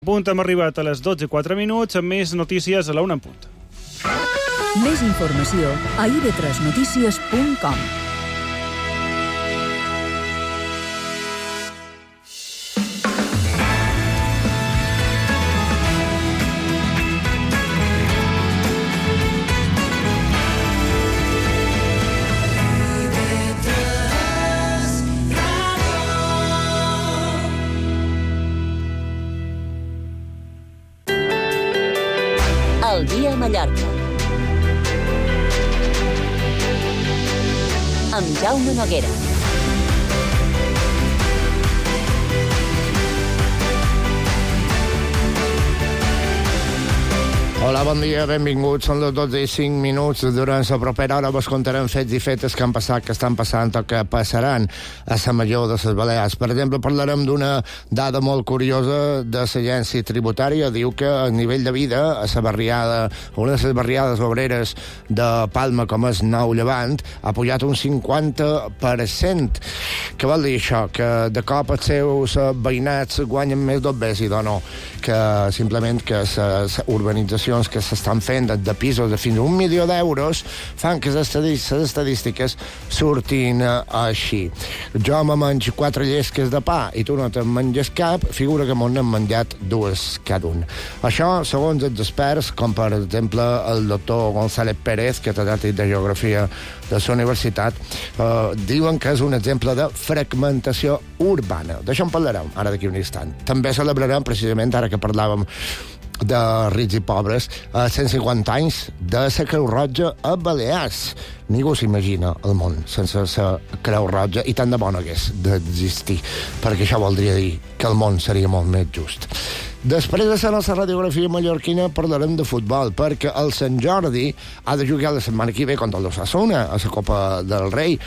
Punt, hem arribat a les 12:04 amb més notícies a la 1 en punt. Més informació a ib3notícies.com. El dia a Mallorca. Amb Jaume Noguera. Hola, bon dia, benvinguts. Són les 12:05. Durant la propera hora vos contarem fets i fetes que han passat, que estan passant o que passaran a la Major de les Balears. Per exemple, parlarem d'una dada molt curiosa de l'agència tributària. Diu que el nivell de vida a la barriada, una de les barriades obreres de Palma, com és Nou Llevant, ha pujat un 50%. Què vol dir això? Que de cop els seus veïnats guanyen més d'obès i no, que simplement que les urbanitzacions que s'estan fent de pisos de fins a 1 milió d'euros fan que les estadístiques surtin així. Jo me menjo 4 llesques de pa i tu no te'n menges cap, figura que m'on n'hem menjat 2 cada un. Això, segons els experts, com per exemple el doctor González Pérez, catedràtic de Geografia de la universitat, diuen que és un exemple de fragmentació urbana. D'això en parlarem ara d'aquí un instant. També celebrarem, precisament ara que parlàvem de rics i pobres, 150 anys de la Creu Roja a Balears. Ningú s'imagina el món sense la Creu Roja, i tant de bona hagués d'existir, perquè això voldria dir que el món seria molt més just. Després de la nostra radiografia mallorquina parlarem de futbol, perquè el Sant Jordi ha de jugar la setmana que ve contra l'Osasuna a la Copa del Rei,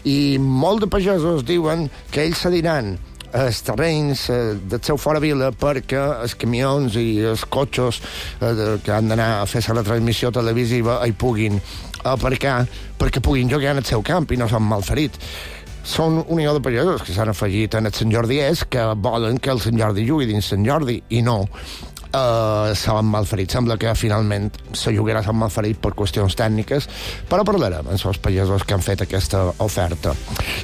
i molts de pagesos diuen que ells cediran els terrenys del seu fora vila perquè els camions i els cotxes que han d'anar a fer la retransmissió televisiva hi puguin aparcar, perquè puguin jugar en el seu camp i no són malferits. Són unió de pagesos que s'han afegit en el Sant Jordi, que volen que el Sant Jordi jugui dins Sant Jordi i no s'han malferit. Sembla que finalment se jugarà a Sant Malferit per qüestions tècniques, però parlarem amb els pagesos que han fet aquesta oferta.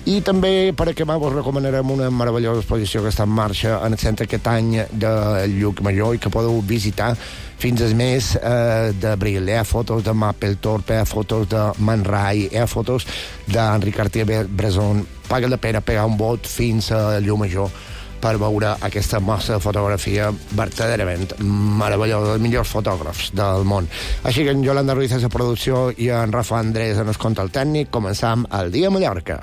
I també, per acabar, vos recomanarem una meravellosa exposició que està en marxa en el centre aquest any de Llucmajor i que podeu visitar fins al mes d'abril. Hi ha fotos de Mapplethorpe, hi ha fotos de Man Ray, hi ha fotos d'Henri Cartier-Bresson. Paga la pena pegar un bot fins a Llucmajor per veure aquesta mostra de fotografia verdaderament meravellosa, dels millors fotògrafs del món. Així que en Yolanda Ruiz és la producció i en Rafa Andrés en el control tècnic. Començam el dia a Mallorca.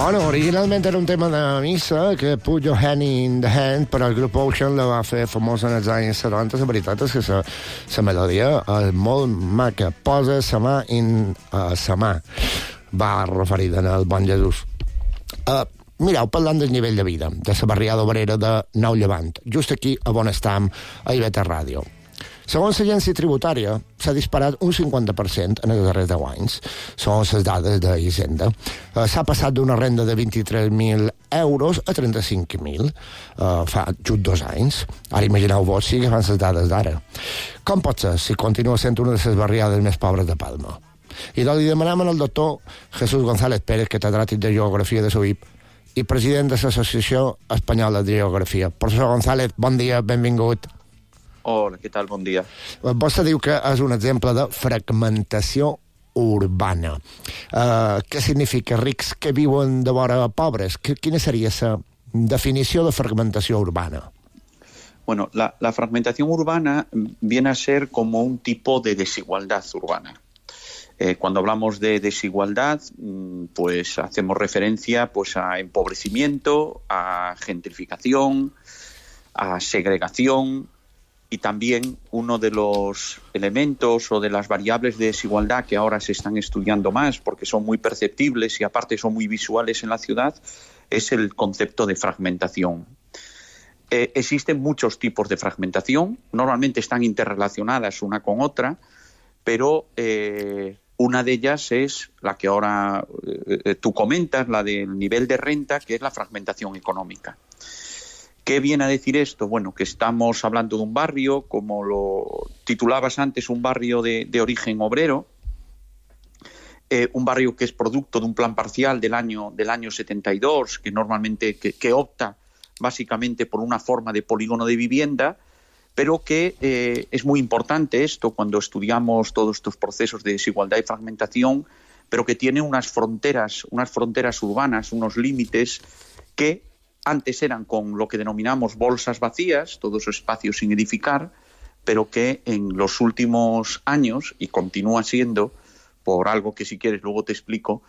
Bueno, originalment era un tema de missa, que Put Your Hand in the Hand, però el grup Ocean la va fer famosa en els anys 70. La veritat és que la melodia és molt maca. Posa sa mà in sa mà. Va referida al bon Jesús. Mireu, parlant del nivell de vida de la barriada obrera de Nou Llevant, just aquí a on estem, a IB3 Ràdio. Segons l'agència tributària, s'ha disparat un 50% en els darrers 10 anys. Són les dades d'Hisenda. S'ha passat d'una renda de 23.000 euros a 35.000 fa just 2 anys. Ara imagineu-vos si agafant les dades d'ara. Com pot ser si continua sent una de les barriades més pobres de Palma? I doncs li demanem al doctor Jesús González Pérez, catedràtic de Geografia de SUIP i president de l'Associació Espanyola de Geografia. Professor González, bon dia, benvingut. Hola, què tal? Bon dia. Vostè diu que és un exemple de fragmentació urbana. Què significa rics que viuen de vora pobres? Quina seria la definició de fragmentació urbana? Bueno, la fragmentación urbana viene a ser como un tipo de desigualdad urbana. Cuando hablamos de desigualdad, pues hacemos referencia pues a empobrecimiento, a gentrificación, a segregación. Y también uno de los elementos o de las variables de desigualdad que ahora se están estudiando más porque son muy perceptibles y aparte son muy visuales en la ciudad es el concepto de fragmentación. Existen muchos tipos de fragmentación, normalmente están interrelacionadas una con otra, pero una de ellas es la que ahora tú comentas, la del nivel de renta, que es la fragmentación económica. ¿Qué viene a decir esto? Bueno, que estamos hablando de un barrio, como lo titulabas antes, un barrio de origen obrero, un barrio que es producto de un plan parcial del año 72, que normalmente que opta básicamente por una forma de polígono de vivienda, pero que es muy importante esto cuando estudiamos todos estos procesos de desigualdad y fragmentación, pero que tiene unas fronteras urbanas, unos límites que antes eran con lo que denominamos bolsas vacías, todos esos espacios sin edificar, pero que en los últimos años, y continúa siendo, por algo que si quieres luego te explico,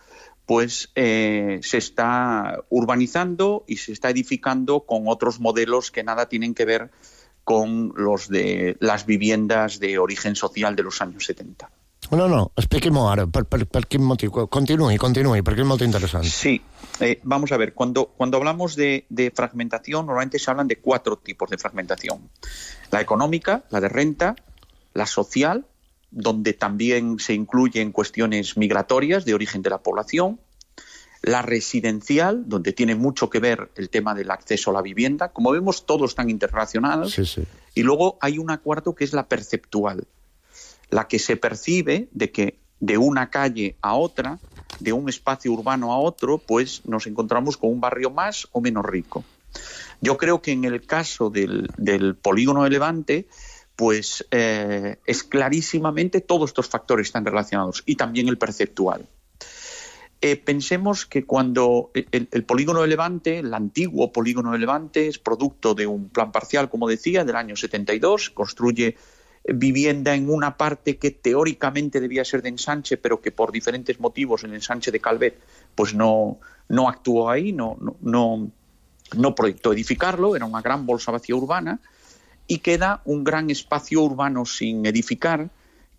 pues se está urbanizando y se está edificando con otros modelos que nada tienen que ver con los de las viviendas de origen social de los años 70. No, expliquem-ho ara, per quin motiu. Continuï, perquè és molt interessant. Sí, vamos a ver, cuando hablamos de fragmentación, normalmente se hablan de 4 tipos de fragmentación. La económica, la de renta, la social, donde también se incluyen cuestiones migratorias de origen de la población, la residencial, donde tiene mucho que ver el tema del acceso a la vivienda. Como vemos, todos están interrelacionados. Sí. Y luego hay una cuarta que es la perceptual, la que se percibe de que de una calle a otra, de un espacio urbano a otro, pues nos encontramos con un barrio más o menos rico. Yo creo que en el caso del polígono de Levante, pues es clarísimamente todos estos factores están relacionados y también el perceptual. Pensemos que cuando el polígono de Levante, el antiguo polígono de Levante, es producto de un plan parcial, como decía, del año 72, construye vivienda en una parte que teóricamente debía ser de ensanche, pero que por diferentes motivos el ensanche de Calvet pues no actuó ahí, no proyectó edificarlo, era una gran bolsa vacía urbana, y queda un gran espacio urbano sin edificar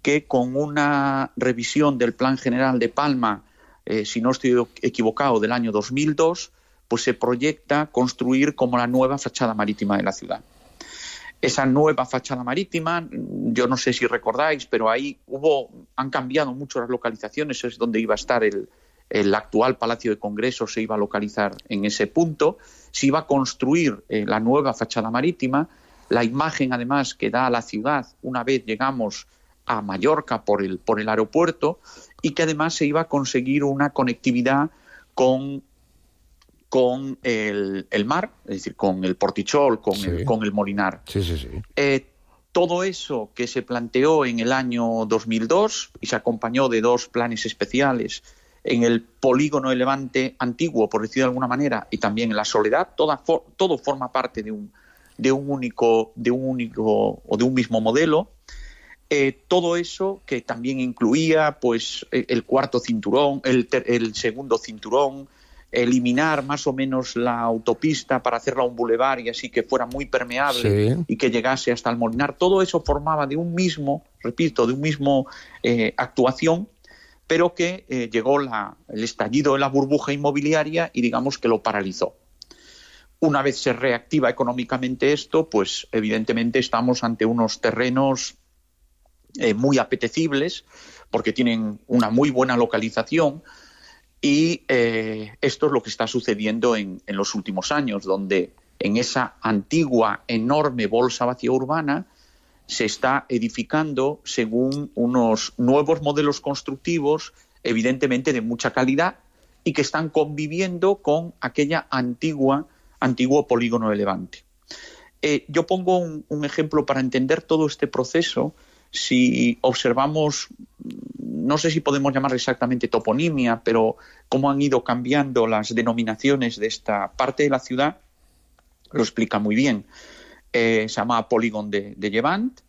que con una revisión del Plan General de Palma, si no estoy equivocado, del año 2002, pues se proyecta construir como la nueva fachada marítima de la ciudad. Esa nueva fachada marítima, yo no sé si recordáis, pero ahí han cambiado mucho las localizaciones, es donde iba a estar el actual Palacio de Congresos, se iba a localizar en ese punto, se iba a construir la nueva fachada marítima, la imagen además que da a la ciudad una vez llegamos a Mallorca por el aeropuerto, y que además se iba a conseguir una conectividad con el mar, es decir, con el Portichol, con el Molinar. Sí. Todo eso que se planteó en el año 2002 y se acompañó de 2 planes especiales en el polígono de Levante antiguo, por decirlo de alguna manera, y también en la Soledad, todo forma parte de un único o de un mismo modelo. Todo eso que también incluía pues el cuarto cinturón, el segundo cinturón, eliminar más o menos la autopista para hacerla un bulevar y así que fuera muy permeable y que llegase hasta el Molinar. Todo eso formaba de un mismo actuación, pero que llegó el estallido de la burbuja inmobiliaria y digamos que lo paralizó. Una vez se reactiva económicamente esto, pues evidentemente estamos ante unos terrenos muy apetecibles porque tienen una muy buena localización y esto es lo que está sucediendo en los últimos años, donde en esa antigua enorme bolsa vacía urbana se está edificando según unos nuevos modelos constructivos, evidentemente de mucha calidad, y que están conviviendo con aquella antiguo polígono de Levante. Yo pongo un ejemplo para entender todo este proceso. Si observamos, no sé si podemos llamar exactamente toponimia, pero cómo han ido cambiando las denominaciones de esta parte de la ciudad, lo explica muy bien. Se llama Polígono de Llevant.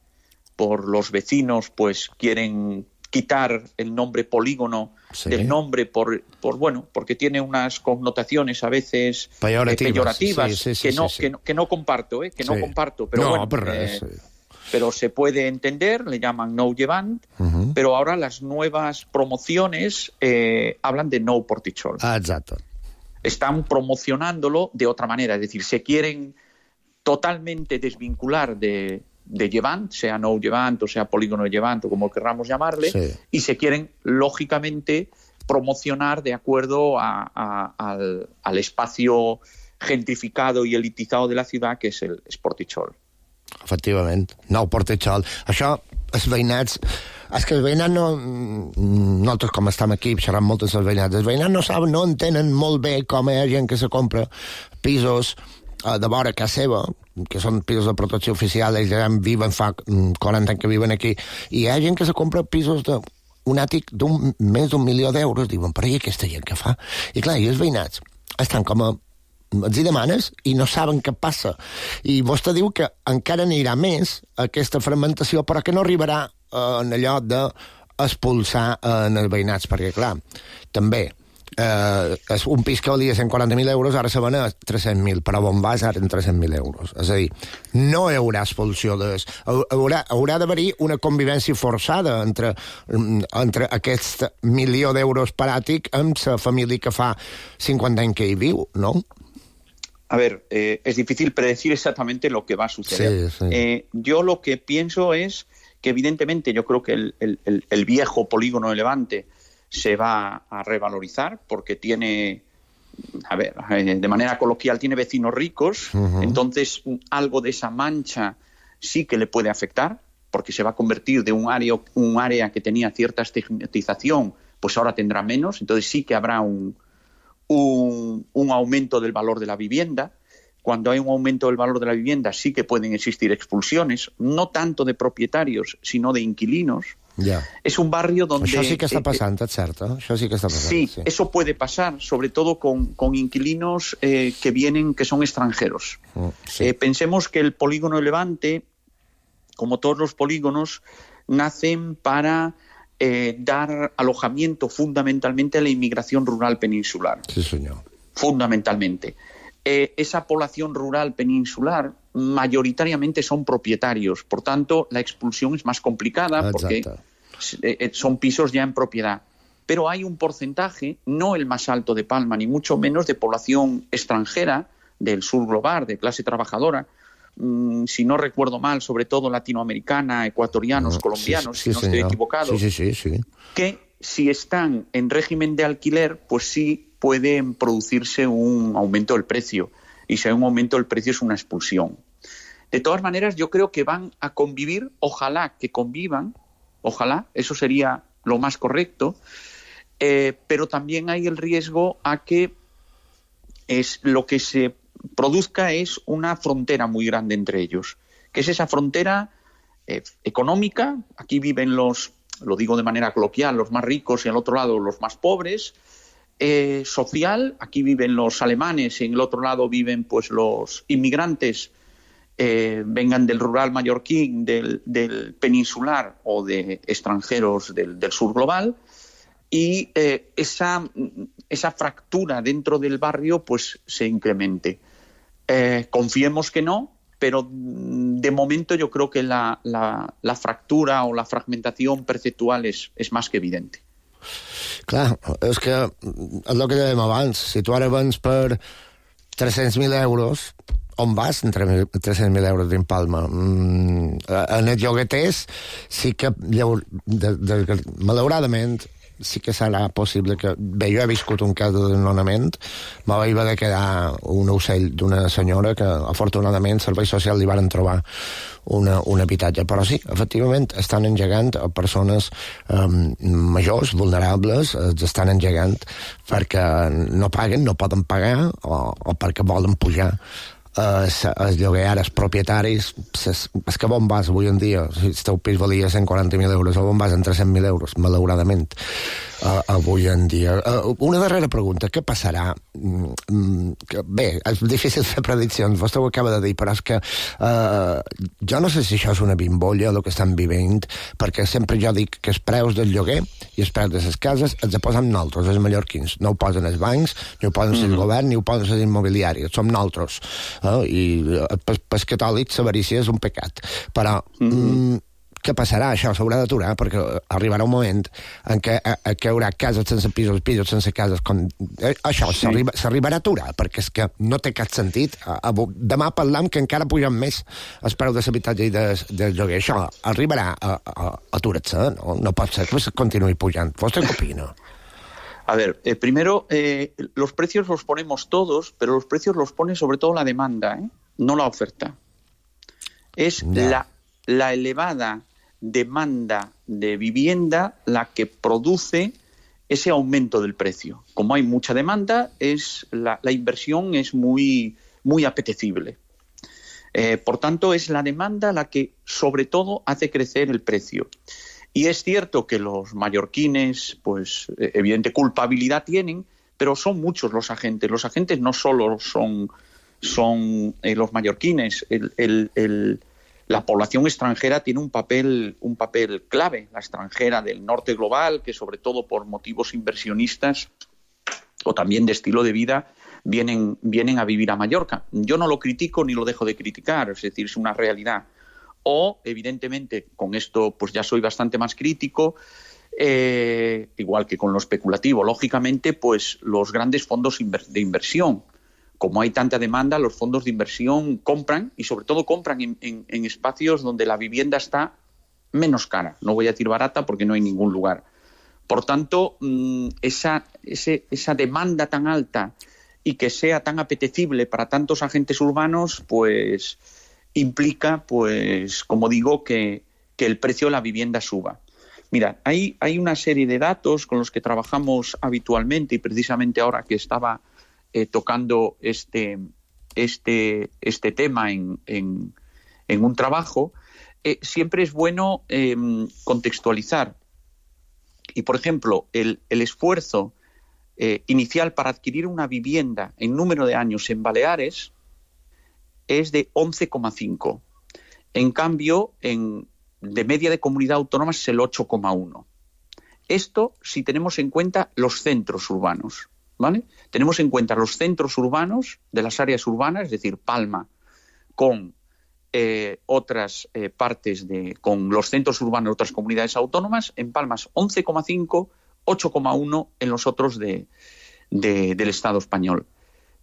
Por los vecinos, pues quieren quitar el nombre polígono del nombre porque tiene unas connotaciones a veces peyorativas que no comparto, no comparto, pero pero se puede entender, le llaman Nou Llevant, pero ahora las nuevas promociones hablan de Nou Portitxol. Exacto. Están promocionándolo de otra manera, es decir, se quieren totalmente desvincular de Llevant, sea Nou Llevant o sea Polígono de Llevant o como querramos llamarle, y se quieren, lógicamente, promocionar de acuerdo al espacio gentrificado y elitizado de la ciudad, que és el Portitxol. Efectivament, Nou Portitxol. Això, els veïnats... És que els veïnats no... Nosaltres, com estem aquí, xerrant moltes els veïnats. Els veïnats no saben, no entenen molt bé com hi ha gent que se compra pisos de vora casa seva, que són pisos de protecció oficial, ells ja viven fa 40 anys que viven aquí, i hi ha gent que se compra pisos d'un àtic més d'1 milió d'euros, diuen, però i aquesta gent què fa? I clar, i els veïnats estan com a... els hi demanes i no saben què passa. I vostè diu que encara anirà més aquesta fragmentació, però que no arribarà en allò d'expulsar en els veïnats, perquè clar, també un pis que valia 140.000 euros ara se ven a 300.000, però on vas ara en 300.000 euros. És a dir, no hi haurà expulsió haurà d'haver-hi una convivència forçada entre aquest 1.000.000 d'euros per àtic amb la família que fa 50 anys que hi viu, no? A ver, es difícil predecir exactamente lo que va a suceder. Sí. Yo lo que pienso es que evidentemente yo creo que el viejo polígono de Levante se va a revalorizar porque tiene, a ver, de manera coloquial, tiene vecinos ricos, entonces algo de esa mancha sí que le puede afectar porque se va a convertir de un área que tenía cierta estigmatización, pues ahora tendrá menos, entonces sí que habrá un aumento del valor de la vivienda. Cuando hay un aumento del valor de la vivienda sí que pueden existir expulsiones, no tanto de propietarios, sino de inquilinos. Yeah. Es un barrio donde... Això sí que està passant, és cert, eh? Això sí que està passant. Sí, eso puede pasar, sobre todo con inquilinos que son extranjeros. Sí. Pensemos que el polígono de Levante, como todos los polígonos, nacen para dar alojamiento fundamentalmente a la inmigración rural peninsular. Sí, señor. Fundamentalmente. Esa población rural peninsular mayoritariamente son propietarios, por tanto la expulsión es más complicada. Exacto. Porque son pisos ya en propiedad. Pero hay un porcentaje, no el más alto de Palma, ni mucho menos, de población extranjera del sur global, de clase trabajadora, si no recuerdo mal, sobre todo latinoamericana, ecuatorianos, colombianos, si no estoy equivocado, que si están en régimen de alquiler, pues sí pueden producirse un aumento del precio. Y si hay un aumento del precio es una expulsión. De todas maneras, yo creo que van a convivir, ojalá que convivan, ojalá, eso sería lo más correcto, pero también hay el riesgo a que lo que se produzca es una frontera muy grande entre ellos, que es esa frontera económica. Aquí viven lo digo de manera coloquial, los más ricos y al otro lado los más pobres. Social, aquí viven los alemanes y en el otro lado viven pues los inmigrantes, vengan del rural mallorquín, del peninsular o de extranjeros del sur global, y esa fractura dentro del barrio pues se incremente. Confiemos que no, pero de momento yo creo que la fractura o la fragmentación perceptual es más que evidente. Clar, és que és el que dèiem abans, si tu ara vens per 300.000 euros on vas entre 300.000 euros dins Palma? En els llogueters sí que, malauradament, sí que serà possible que... Bé, jo he viscut un cas de desnonament, me vaig haver de quedar un ocell d'una senyora que, afortunadament, servei social li varen trobar un habitatge. Però sí, efectivament, estan engegant a persones majors, vulnerables, estan engegant perquè no paguen, no poden pagar o perquè volen pujar els lloguer, els propietaris, és que on vas avui en dia? Si el teu pis valia 140.000 euros, on vas en 300.000 euros, malauradament, avui en dia. Una darrera pregunta, què passarà? Bé, és difícil fer prediccions, vostè ho acaba de dir, però és que jo no sé si això és una bimbolla, el que estan vivint, perquè sempre jo dic que els preus del lloguer i els preus de les cases els posen nosaltres, els mallorquins. No ho posen els bancs, ni ho posen el govern, ni ho posen les immobiliàries. Som nosaltres. I pels catòlics l'avarícia és un pecat. Però què passarà? Això s'haurà d'aturar, perquè arribarà un moment en què hi haurà cases sense pisos, pisos sense cases. Això s'arribarà a aturar, perquè és que no té cap sentit. Demà parlam que encara pugen més els preus de l'habitatge i del lloguer. Això arribarà a aturar-se, no? No pot ser que continuï pujant. ¿Vostè què opina? A ver, primero, los precios los ponemos todos, pero los precios los pone sobre todo la demanda, no la oferta. Es la elevada demanda de vivienda la que produce ese aumento del precio. Como hay mucha demanda, la inversión es muy, muy apetecible. Por tanto, es la demanda la que sobre todo hace crecer el precio. Y es cierto que los mallorquines, pues evidente culpabilidad tienen, pero son muchos los agentes. Los agentes no solo son los mallorquines. La población extranjera tiene un papel clave. La extranjera del norte global, que sobre todo por motivos inversionistas o también de estilo de vida, vienen a vivir a Mallorca. Yo no lo critico ni lo dejo de criticar, es decir, es una realidad. O, evidentemente, con esto pues ya soy bastante más crítico, igual que con lo especulativo. Lógicamente, pues los grandes fondos de inversión. Como hay tanta demanda, los fondos de inversión compran, y sobre todo compran en espacios donde la vivienda está menos cara. No voy a decir barata porque no hay ningún lugar. Por tanto, esa demanda tan alta y que sea tan apetecible para tantos agentes urbanos, pues implica, pues, como digo, que el precio de la vivienda suba. Mira, hay una serie de datos con los que trabajamos habitualmente, y precisamente ahora que estaba tocando este tema en un trabajo, siempre es bueno contextualizar. Y, por ejemplo, el esfuerzo inicial para adquirir una vivienda en número de años en Baleares es de 11,5. En cambio, de media de comunidad autónoma es el 8,1. Esto si tenemos en cuenta los centros urbanos, ¿vale? Tenemos en cuenta los centros urbanos de las áreas urbanas, es decir, Palma, con otras partes con los centros urbanos de otras comunidades autónomas. En Palma es 11,5, 8,1 en los otros del Estado español.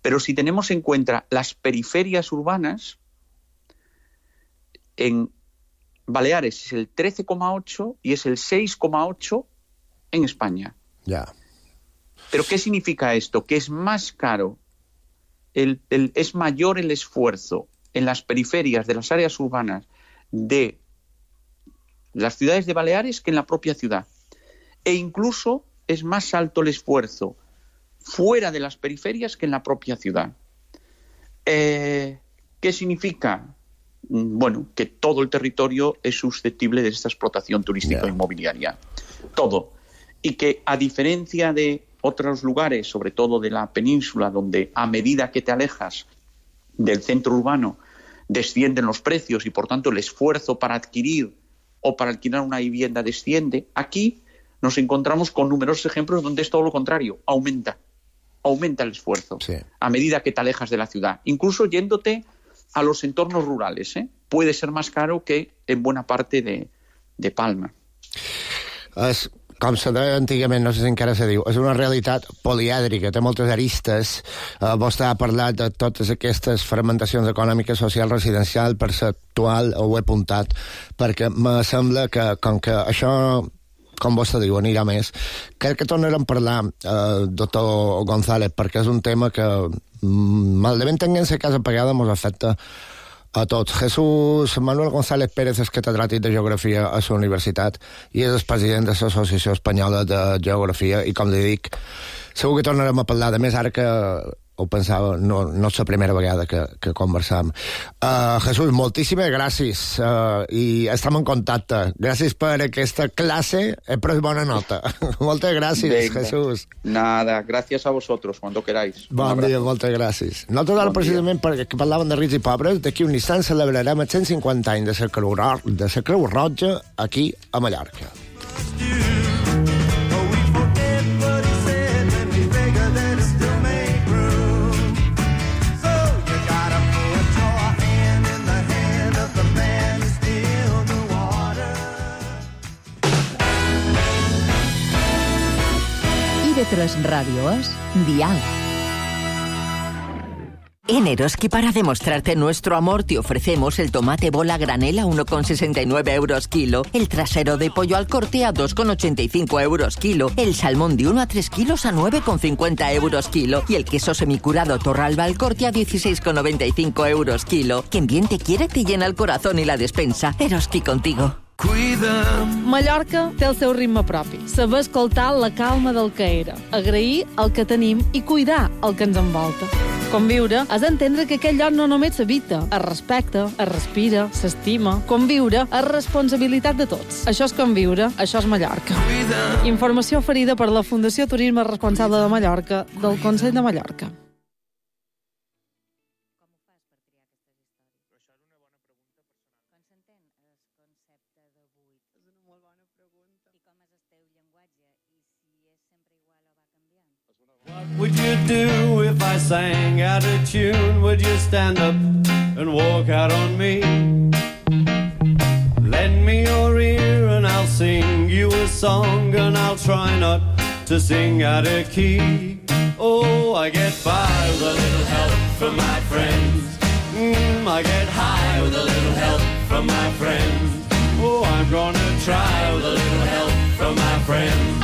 Pero si tenemos en cuenta las periferias urbanas, en Baleares es el 13,8 y es el 6,8 en España. Ya. ¿Pero qué significa esto? Que es más caro, es mayor el esfuerzo en las periferias de las áreas urbanas de las ciudades de Baleares que en la propia ciudad. E incluso es más alto el esfuerzo fuera de las periferias que en la propia ciudad. ¿Qué significa? Bueno, que todo el territorio es susceptible de esta explotación turística inmobiliaria. Todo. Y que a diferencia de otros lugares, sobre todo de la península, donde a medida que te alejas del centro urbano descienden los precios y por tanto el esfuerzo para adquirir o para alquilar una vivienda desciende, aquí nos encontramos con numerosos ejemplos donde es todo lo contrario, aumenta el esfuerzo a medida que te alejas de la ciudad, incluso yéndote a los entornos rurales, puede ser más caro que en buena parte de Palma. com se deia antigament, no sé si encara se diu, és una realitat polièdrica, té moltes aristes. Vostè ha parlat de totes aquestes fragmentacions econòmiques, social, residencial, perceptual, ho he apuntat, perquè me sembla que, com que això, com vostè diu, anirà més, crec que tornarem a parlar, doctor González, perquè és un tema que, mal de ben tenint-se casa pagada, ens afecta a tots. Jesús Manuel González Pérez és catedràtic de Geografia a la universitat i és el president de l'Associació Espanyola de Geografia i, com li dic, segur que tornarem a parlar de més ara que ho pensava, no és la primera vegada que conversam. Jesús, moltíssimes gràcies i estem en contacte. Gràcies per aquesta classe, he pres bona nota. Moltes gràcies, Venga. Jesús. Nada, gracias a vosotros, cuando queráis. Bon dia, moltes gràcies. Nosaltres ara, precisament, perquè parlaven de rics i pobres, d'aquí un instant celebrarem els 150 anys de la Creu Roja aquí a Mallorca. IB3 Radio es Dial. En Eroski, para demostrarte nuestro amor, te ofrecemos el tomate bola granel a 1,69 euros kilo, el trasero de pollo al corte a 2,85 euros kilo, el salmón de 1 a 3 kilos a 9,50 euros kilo y el queso semicurado Torralba al corte a 16,95 euros kilo. Quien bien te quiere te llena el corazón y la despensa. Eroski contigo. Mallorca té el seu ritme propi. Saber escoltar la calma del que era, agrair el que tenim i cuidar el que ens envolta. Conviure és entendre que aquell lloc no només s'habita, es respecta, es respira, s'estima. Conviure és responsabilitat de tots. Això és conviure, això és Mallorca. Informació oferida per la Fundació Turisme Responsable de Mallorca del Consell de Mallorca. What would you do if I sang out of tune? Would you stand up and walk out on me? Lend me your ear and I'll sing you a song, and I'll try not to sing out of key. Oh, I get by with a little help from my friends. I get high with a little help from my friends. Oh, I'm gonna try with a little help from my friends.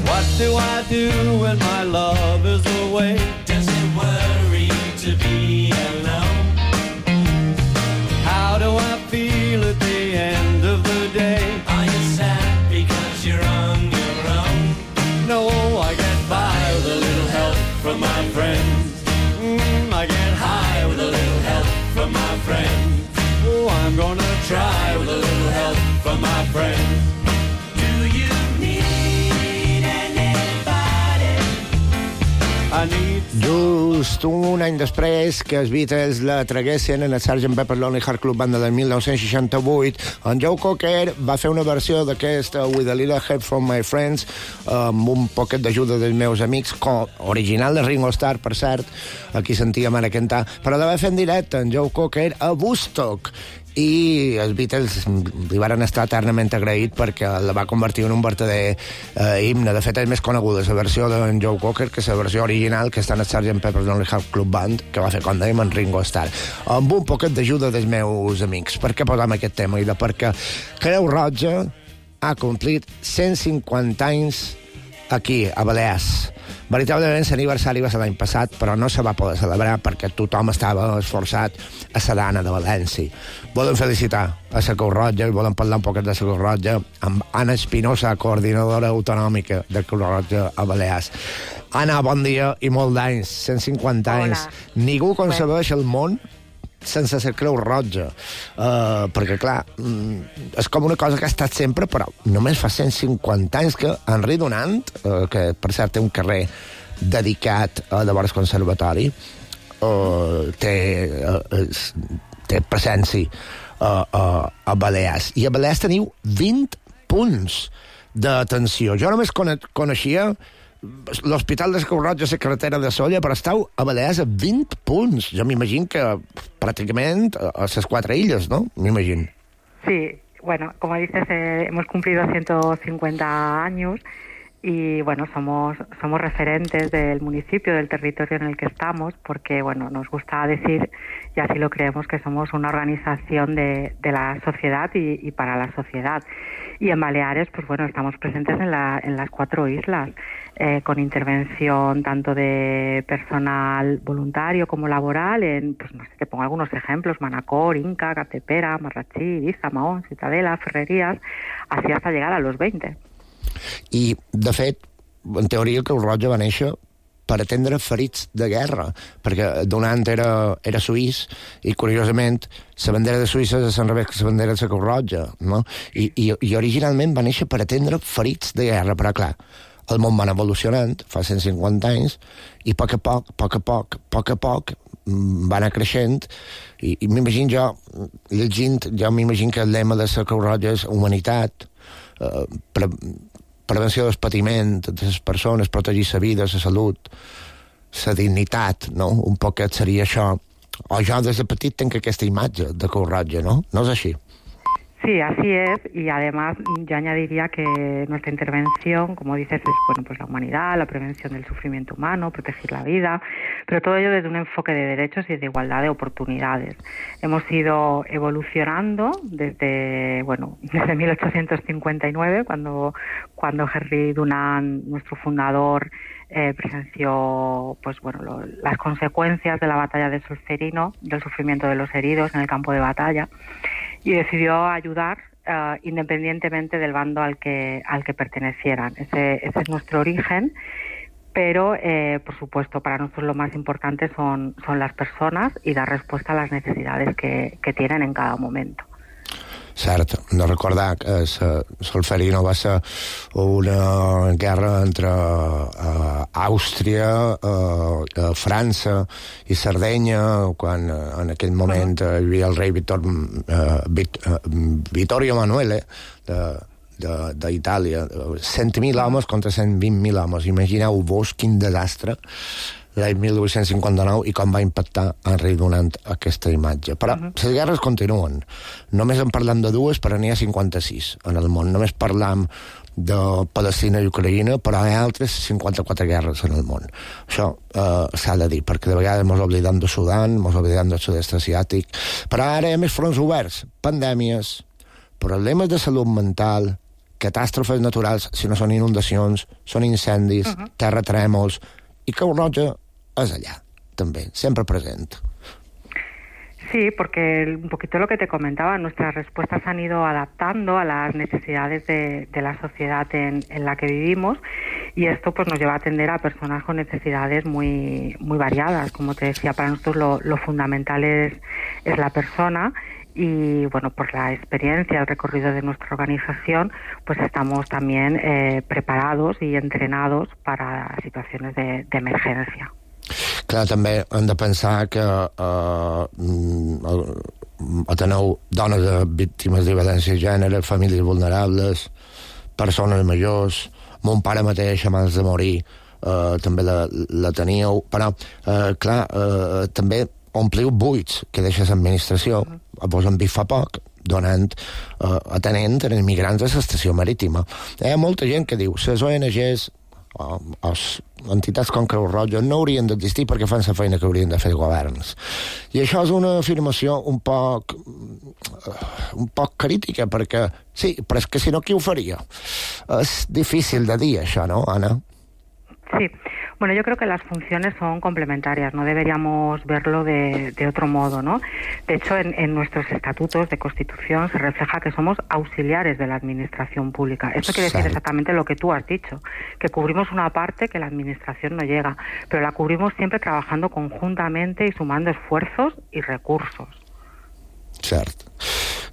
What do I do when my love is away? Does it worry to be alone? How do I feel at the end of the day? Are you sad because you're on your own? No, I get by with a little help from my friends. I get high with a little help from my friends. Oh, I'm gonna try with a little help from my friends. Just un any després que els Beatles la traguessin en el Sgt. Pepper's Lonely Hearts Club Band del 1968, en Joe Cocker va fer una versió d'aquest With a Little Help from My Friends amb un poquet d'ajuda dels meus amics, original de Ringo Starr, per cert, aquí sentíem ara cantar, però la va fer en directe en Joe Cocker a Woodstock, i els Beatles li van estar eternament agraït perquè la va convertir en un verdader himne. De fet, és més coneguda la versió d'en Joe Cocker que la versió original que està en el Sgt. Pepper's Lonely Hearts Club Band, que va fer, com dèiem, en Ringo Starr, amb un poquet d'ajuda dels meus amics. Per què posam aquest tema? I perquè Creu Roja ha complit 150 anys aquí, a Balears. Veritablement l'aniversari va ser l'any passat, però no se va poder celebrar perquè tothom estava esforçat a la Dana de València. Volem felicitar a la Creu Roja i volem parlar un poquet de la Creu Roja amb Anna Espinosa, coordinadora autonòmica de Creu Roja a Balears. Anna, bon dia i molt d'anys, 150 anys. Ningú concebeix el món sense la Creu Roja, perquè clar, és com una cosa que ha estat sempre, però només fa 150 anys que Henri Dunant, que per cert té un carrer dedicat a llavors conservatori, té presència a Balears, i a Balears teniu 20 punts d'atenció. Jo només coneixia l'Hospital de Creu Roja, la carretera de Solla, però estàu a Balears a 20 punts. Jo m'imagino que pràcticament a les 4 illes, ¿no? M'imagino. Sí, bueno, como dices, hemos cumplido 150 años y, bueno, somos referentes del municipio, del territorio en el que estamos, porque, bueno, nos gusta decir, y así lo creemos, que somos una organización de la sociedad y para la sociedad. Y en Baleares, pues bueno, estamos presentes en las 4 islas, con intervención tanto de personal voluntario como laboral en, pues no sé, te pongo algunos ejemplos: Manacor, Inca, Capdepera, Marratxí, Ibiza, Mahón, Ciutadela, Ferreries, así hasta llegar a los 20. I, de fet, en teoria Creu Roja va néixer per atendre ferits de guerra, perquè donant era suís i, curiosament, la bandera de Suïssa és al revés que la bandera de la Creu Roja, no? I originalment va néixer per atendre ferits de guerra, però, clar, el món va evolucionant fa 150 anys i a poc a poc va anar creixent i m'imagino jo, llegint, m'imagino que el lema de la Creu Roja és humanitat, prevenció del patiment de les persones, protegir la vida, la salut, la dignitat, no? Un poquet seria això. O jo des de petit tenc aquesta imatge de Creu Roja, ¿no? ¿No es así? Sí, así es, y además yo añadiría que nuestra intervención, como dices, es, bueno, pues la humanidad, la prevención del sufrimiento humano, proteger la vida, pero todo ello desde un enfoque de derechos y de igualdad de oportunidades. Hemos ido evolucionando desde 1859, cuando Henry Dunant, nuestro fundador, presenció, pues bueno, las consecuencias de la batalla de Solferino, del sufrimiento de los heridos en el campo de batalla, y decidió ayudar independientemente del bando al que pertenecieran. Ese es nuestro origen, pero por supuesto para nosotros lo más importante son las personas y dar respuesta a las necesidades que tienen en cada momento. Cert, no recordar que Solferino va ser una guerra entre Àustria, França i Sardenya, quan en aquell moment hi havia el rei Vittorio Emanuele d'Itàlia. 100.000 homes contra 120.000 homes. Imagineu-vos quin desastre l'any 1859 i com va impactar Henry Dunant aquesta imatge. Però les guerres continuen. Només en parlam de dues, però n'hi ha 56 en el món. Només parlam de Palestina i Ucraïna, però hi ha altres 54 guerres en el món. Això s'ha de dir, perquè de vegades ens oblidem de Sudan, ens oblidem del sud-est asiàtic, però ara hi ha més fronts oberts, pandèmies, problemes de salut mental, catàstrofes naturals, si no són inundacions, són incendis, terratrèmols, i Creu Roja es allá también, siempre presente. Sí, porque un poquito lo que te comentaba, nuestras respuestas han ido adaptando a las necesidades de la sociedad en la que vivimos, y esto pues nos lleva a atender a personas con necesidades muy variadas. Como te decía, para nosotros lo fundamental es la persona. Y bueno, por la experiencia, el recorrido de nuestra organización, pues estamos también preparados y entrenados para situaciones de emergencia. Clar, també hem de pensar que ateneu dones víctimes de violència de gènere, famílies vulnerables, persones majors. Mon pare mateix, abans de morir, també la teníeu. Però, clar, també ompliu buits que deixa l'administració. Vos en vist fa poc, atenent els immigrants a l'estació marítima. Hi ha molta gent que diu les ONGs o entitats com Creu Roja no haurien d'existir perquè fan la feina que haurien de fer els governs. I això és una afirmació un poc crítica, perquè sí, però és que si no, qui ho faria? És difícil de dir això, ¿no, Ana? Sí. Bueno, yo creo que las funciones son complementarias, no deberíamos verlo de otro modo, ¿no? De hecho, en nuestros estatutos de Constitución se refleja que somos auxiliares de la administración pública. Esto quiere decir exactamente lo que tú has dicho, que cubrimos una parte que la administración no llega, pero la cubrimos siempre trabajando conjuntamente y sumando esfuerzos y recursos. Cert.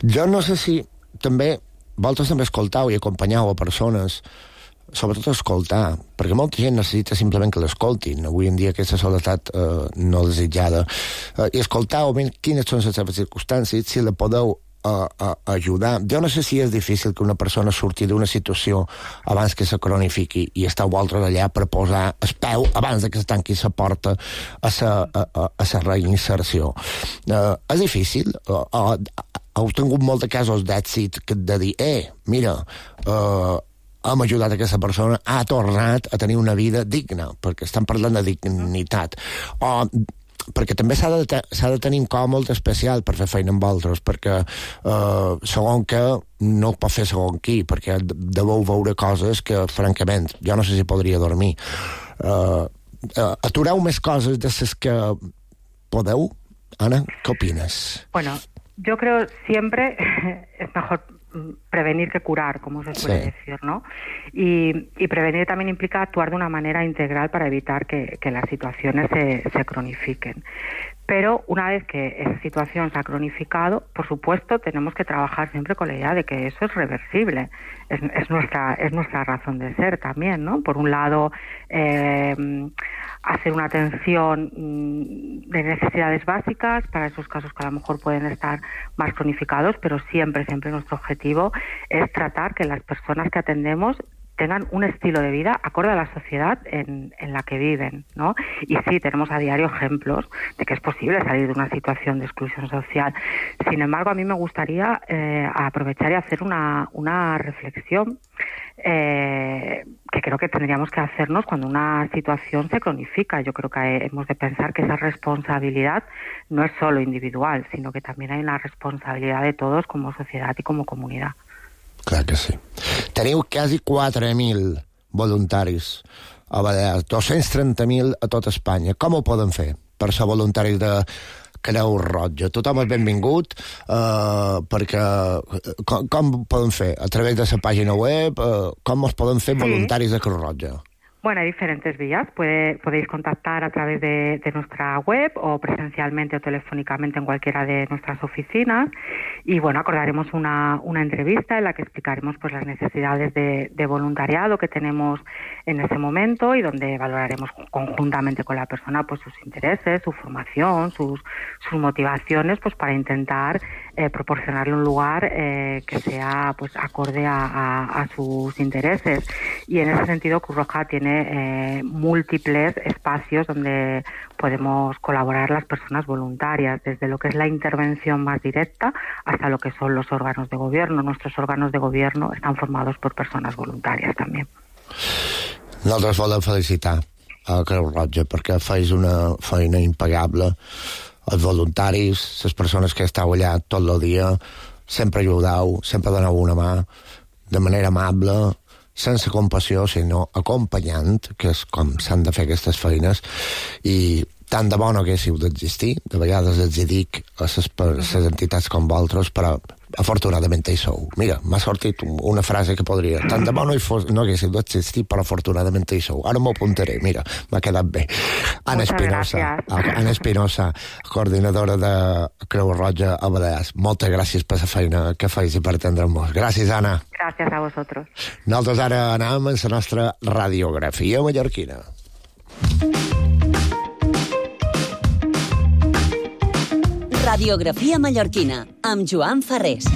Jo no sé si vosaltres també escoltau i acompanyau a persones, sobretot escoltar, perquè molta gent necessita simplement que l'escoltin, avui en dia aquesta soledat no desitjada, i escoltar quines són les seves circumstàncies, si la podeu ajudar. Jo no sé si és difícil que una persona surti d'una situació abans que se cronifiqui i esteu vosaltres allà per posar el peu abans que se tanqui la porta a la reinserció. És difícil? Heu tingut molts casos d'èxit de dir, mira, hem ajudat aquesta persona, ha tornat a tenir una vida digna, perquè estan parlant de dignitat. Perquè també s'ha de tenir un cor molt especial per fer feina amb altres, perquè segon que no ho pot fer segon qui, perquè deveu veure coses que, francament, jo no sé si podria dormir. Atureu més coses de les que podeu? Ana, ¿qué opinas? Bueno, yo creo siempre es mejor prevenir que curar, como se suele decir, ¿no? Y prevenir también implica actuar de una manera integral para evitar que las situaciones se cronifiquen. Pero una vez que esa situación se ha cronificado, por supuesto, tenemos que trabajar siempre con la idea de que eso es reversible. Es nuestra razón de ser también, ¿no? Por un lado, hacer una atención de necesidades básicas para esos casos que a lo mejor pueden estar más cronificados, pero siempre nuestro objetivo es tratar que las personas que atendemos tengan un estilo de vida acorde a la sociedad en la que viven, ¿no? Y sí, tenemos a diario ejemplos de que es posible salir de una situación de exclusión social. Sin embargo, a mí me gustaría aprovechar y hacer una reflexión que creo que tendríamos que hacernos cuando una situación se cronifica. Yo creo que hemos de pensar que esa responsabilidad no es solo individual, sino que también hay una responsabilidad de todos como sociedad y como comunidad. Clar que sí. Teniu quasi 4.000 voluntaris a Balears, 230.000 a tot Espanya. Com ho poden fer per ser voluntaris de Creu Roja? Tothom és benvingut, perquè com poden fer? A través de la pàgina web? Com es poden fer voluntaris de Creu Roja? Bueno, hay diferentes vías. Podéis contactar a través de nuestra web o presencialmente o telefónicamente en cualquiera de nuestras oficinas. Y bueno, acordaremos una entrevista en la que explicaremos pues las necesidades de voluntariado que tenemos en ese momento y donde valoraremos conjuntamente con la persona pues sus intereses, su formación, sus motivaciones, pues para intentar proporcionarle un lugar que sea pues acorde a sus intereses. Y en ese sentido Cruz Roja tiene múltiples espacios donde podemos colaborar las personas voluntarias, desde lo que es la intervención más directa hasta lo que son los órganos de gobierno. Nuestros órganos de gobierno están formados por personas voluntarias també. Nosaltres volem felicitar a Creu Roja perquè feis una feina impagable. Els voluntaris, les persones que esteu allà tot el dia, sempre ajudeu, sempre doneu una mà, de manera amable, sense compassió, sinó acompanyant, que és com s'han de fer aquestes feines, i tant de bo no haguéssiu d'existir, de vegades els hi dic a les entitats com vosaltres, però afortunadament hi sou. Mira, m'ha sortit una frase que podria... Tant de bo no haguéssiu d'existir, però afortunadament hi sou. Ara m'ho apuntaré, mira, m'ha quedat bé. Ana Espinosa, coordinadora de Creu Roja a Balears. Moltes gràcies per la feina que feis i per atendre'ns. Gràcies, Anna. Gràcies a vosaltres. Nosaltres ara anem a la nostra radiografia mallorquina. Radiografia mallorquina, amb Joan Ferrés.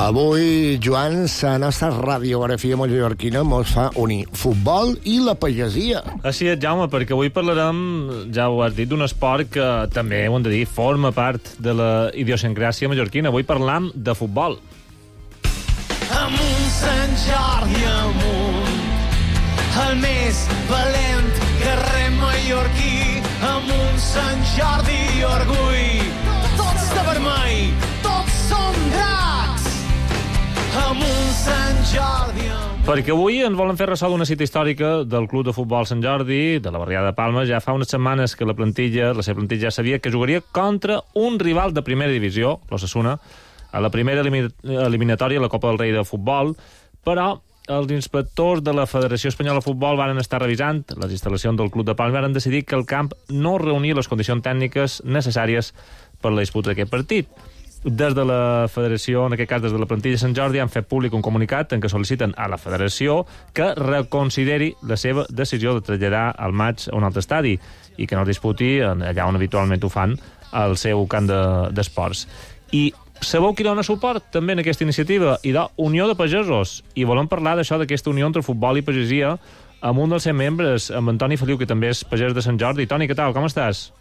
Avui, Joan, la nostra radiografia mallorquina mos fa unir futbol i la pagesia. Així és, Jaume, perquè avui parlarem, ja ho has dit, d'un esport que també, ho hem de dir, forma part de la idiosincràsia mallorquina. Avui parlam de futbol. Amunt, Sant Jordi, amunt, el més valent carrer mallorquí. Amunt, Sant Jordi, orgull, tots de vermell, tots som dracs. Amunt, Sant Jordi, amunt. Perquè avui ens volen fer ressò d'una cita històrica del Club de Futbol Sant Jordi, de la barriada de Palma. Ja fa unes setmanes que la seva plantilla ja sabia que jugaria contra un rival de primera divisió, l'Osasuna, a la primera eliminatòria a la Copa del Rei de Futbol, però els inspectors de la Federació Espanyola de Futbol van estar revisant les instal·lacions del Club de Palma i van decidir que el camp no reunia les condicions tècniques necessàries per la disputa d'aquest partit. des de la federació, en aquest cas des de la plantilla de Sant Jordi, han fet públic un comunicat en què sol·liciten a la federació que reconsideri la seva decisió de traslladar el maig a un altre estadi i que no es disputi allà on habitualment ho fan, al seu camp d'esports. I sabeu qui dona suport també en aquesta iniciativa? I Unió de Pagesos. I volem parlar d'això, d'aquesta unió entre futbol i pagesia, amb un dels seus membres, amb Antoni Feliu, que també és pagès de Sant Jordi. Toni, què tal? Com estàs?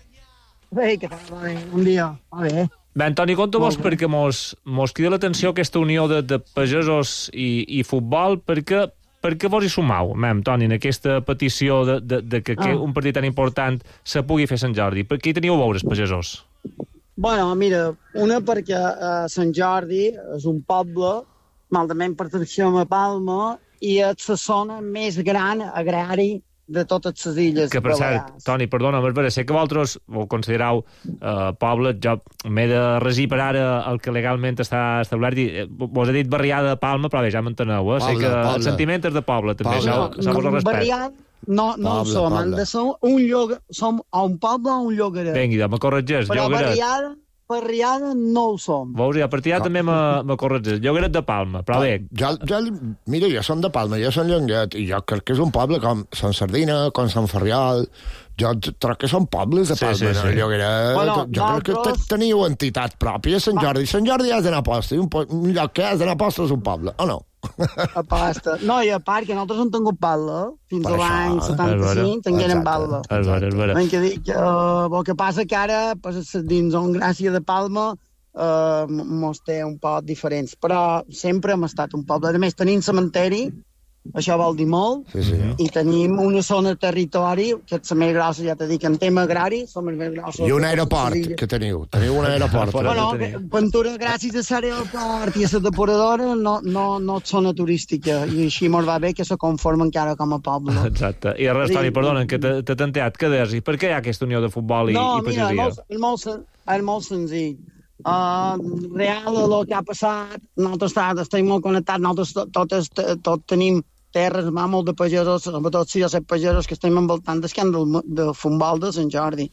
Bé, què tal? Bon dia. Va bé. Bé, Antoni, conta-mos perquè mos crida l'atenció aquesta unió de pagesos i futbol, perquè vos hi sumau, Toni, en aquesta petició de que un partit tan important se pugui fer a Sant Jordi. Per què hi teniu a veure, els pagesos? Bueno, mira, una perquè Sant Jordi és un poble, malament pertencem a Palma, i és la zona més gran agrari de totes les illes. Que, per cert, Toni, perdona, sé que vosaltres ho considerau poble, jo m'he de regir per ara el que legalment està establert, i vos he dit barriada de Palma, però bé, ja m'enteneu, sé que el sentiment és de poble, també, això vos el respecte. Barriada no ho som, han de ser un lloc, som un poble o un llogaret. Vinga, me corregeix, llogaret. Però barriada no ho som. Veus, a partir d'ara també me corregeix. Llogaret de Palma, però bé. Mira, jo som de Palma, jo som Llonguet, i jo crec que és un poble com Sant Sardina, com Sant Ferriol. Jo crec que són pobles de Palma, no? Llogaret. Jo crec que teniu entitat pròpia, Sant Jordi. Sant Jordi has d'anar a posta, i un lloc que has d'anar a posta és un poble, o no? A posta. No, i a part que nosaltres hem tingut Palma, fins a l'any 75 tingueren Palma. És vera. El que passa que ara, dins on gràcia de Palma, mos té un poc diferents, però sempre hem estat un poble. A més, tenim cementeri, això vol dir molt, i tenim una zona de territori, que és la més grossa, ja t'he dit, en tema agrari, som els més grossos. I un aeroport, que teniu un aeroport. Bueno, Ventura, gràcies a l'aeroport i a la depuradora, no és zona turística, i així mos va bé que se conforma encara com a poble. Exacte. I res, Toni, perdona, que t'he tanteat, què deies? I per què hi ha aquesta unió de futbol i pagesia? No, mira, és molt senzill. Real, el que ha passat, nosaltres estem molt connectats, nosaltres tots tenim terres, molt de pagesos, sobretot si jo sé pagesos que estem envoltant d'escàndol de futbol de Sant Jordi.